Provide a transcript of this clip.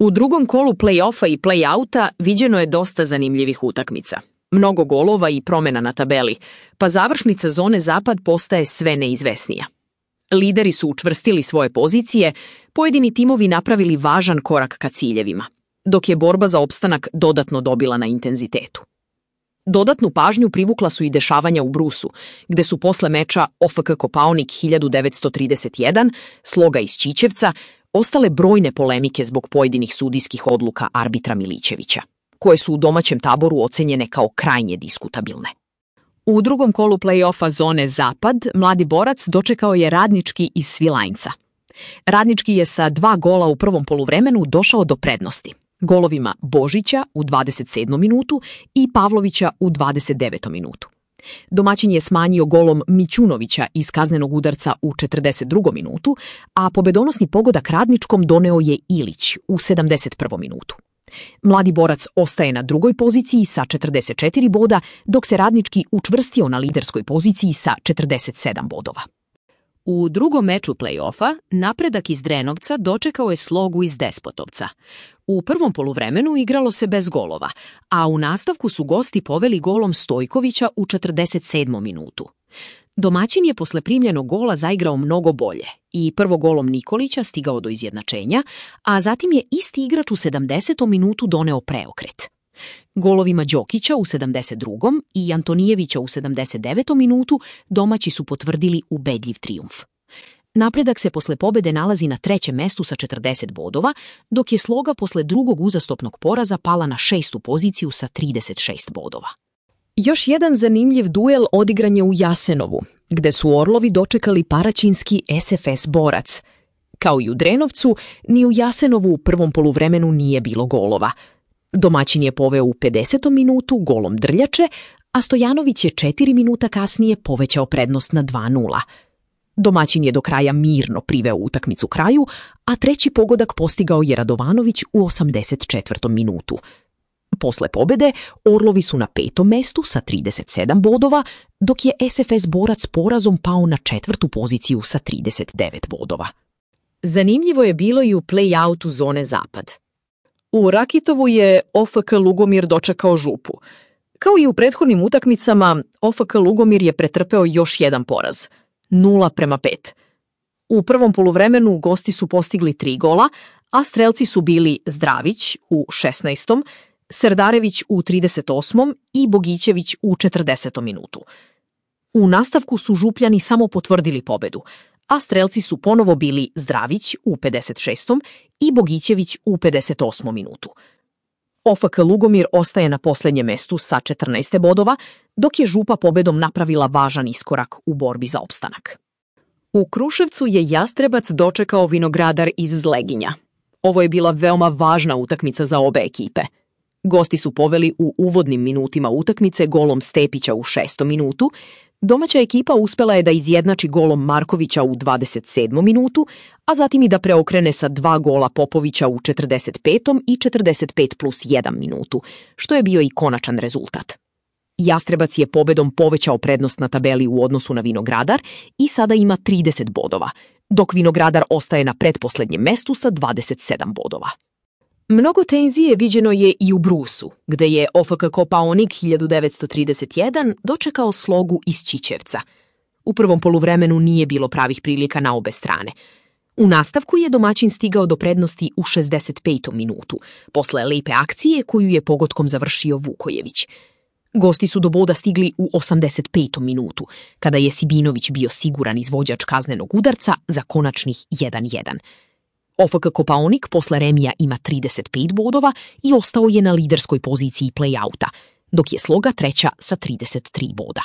U drugom kolu play-offa i play-outa viđeno je dosta zanimljivih utakmica. Mnogo golova i promjena na tabeli, pa završnica zone Zapad postaje sve neizvesnija. Lideri su učvrstili svoje pozicije, pojedini timovi napravili važan korak ka ciljevima, dok je borba za opstanak dodatno dobila na intenzitetu. Dodatnu pažnju privukla su i dešavanja u Brusu, gde su posle meča OFK Kopaonik 1931, Sloga iz Ćićevca, ostale brojne polemike zbog pojedinih sudijskih odluka arbitra Milićevića, koje su u domaćem taboru ocenjene kao krajnje diskutabilne. U drugom kolu play-offa zone Zapad mladi borac dočekao je Radnički iz Svilajnca. Radnički je sa 2 gola u prvom poluvremenu došao do prednosti, golovima Božića u 27. minutu i Pavlovića u 29. minutu. Domaćin je smanjio golom Mićunovića iz kaznenog udarca u 42. minutu, a pobedonosni pogodak Radničkom doneo je Ilić u 71. minutu. Mladi borac ostaje na drugoj poziciji sa 44 boda, dok se Radnički učvrstio na liderskoj poziciji sa 47 bodova. U drugom meču play-offa Napredak iz Drenovca dočekao je Slogu iz Despotovca. U prvom poluvremenu igralo se bez golova, a u nastavku su gosti poveli golom Stojkovića u 47. minutu. Domaćin je posle primljenog gola zaigrao mnogo bolje i prvo golom Nikolića stigao do izjednačenja, a zatim je isti igrač u 70. minutu doneo preokret. Golovima Đokića u 72. i Antonijevića u 79. minutu domaći su potvrdili ubedljiv trijumf. Napredak se posle pobede nalazi na 3. mestu sa 40 bodova, dok je Sloga posle drugog uzastopnog poraza pala na 6. poziciju sa 36 bodova. Još jedan zanimljiv duel odigran je u Jasenovu, gde su Orlovi dočekali paraćinski SFS Borac. Kao i u Drenovcu, ni u Jasenovu u prvom poluvremenu nije bilo golova. Domaćin je poveo u 50. minutu golom Drljače, a Stojanović je 4 minuta kasnije povećao prednost na 2:0. Domaćin je do kraja mirno priveo utakmicu kraju, a treći pogodak postigao je Radovanović u 84. minutu. Posle pobede, Orlovi su na 5. mestu sa 37 bodova, dok je SFS Borac porazom pao na 4. poziciju sa 39 bodova. Zanimljivo je bilo i u play-outu zone Zapad. U Rakitovu je OFK Lugomir dočekao Župu. Kao i u prethodnim utakmicama, OFK Lugomir je pretrpeo još jedan poraz, 0:5. U prvom poluvremenu gosti su postigli 3 gola, a strelci su bili Zdravić u 16., Serdarević u 38. i Bogićević u 40. minutu. U nastavku su Župljani samo potvrdili pobedu, a strelci su ponovo bili Zdravić u 56. i Bogićević u 58. minutu. OFK Lugomir ostaje na posljednjem mestu sa 14 bodova, dok je Župa pobedom napravila važan iskorak u borbi za opstanak. U Kruševcu je Jastrebac dočekao Vinogradar iz Zleginja. Ovo je bila veoma važna utakmica za obe ekipe. Gosti su poveli u uvodnim minutima utakmice golom Stepića u 6. minutu, domaća ekipa uspela je da izjednači golom Markovića u 27. minutu, a zatim i da preokrene sa 2 gola Popovića u 45. i 45+1 minutu, što je bio i konačan rezultat. Jastrebac je pobedom povećao prednost na tabeli u odnosu na Vinogradar i sada ima 30 bodova, dok Vinogradar ostaje na pretposlednjem mestu sa 27 bodova. Mnogo tenzije viđeno je i u Brusu, gde je OFK Kopaonik 1931 dočekao Slogu iz Ćićevca. U prvom poluvremenu nije bilo pravih prilika na obe strane. U nastavku je domaćin stigao do prednosti u 65. minutu, posle lepe akcije koju je pogodkom završio Vukojević. Gosti su do boda stigli u 85. minutu, kada je Sibinović bio siguran izvođač kaznenog udarca za konačnih 1:1. OFK Kopaonik posle remija ima 35 bodova i ostao je na liderskoj poziciji play-outa, dok je Sloga treća sa 33 boda.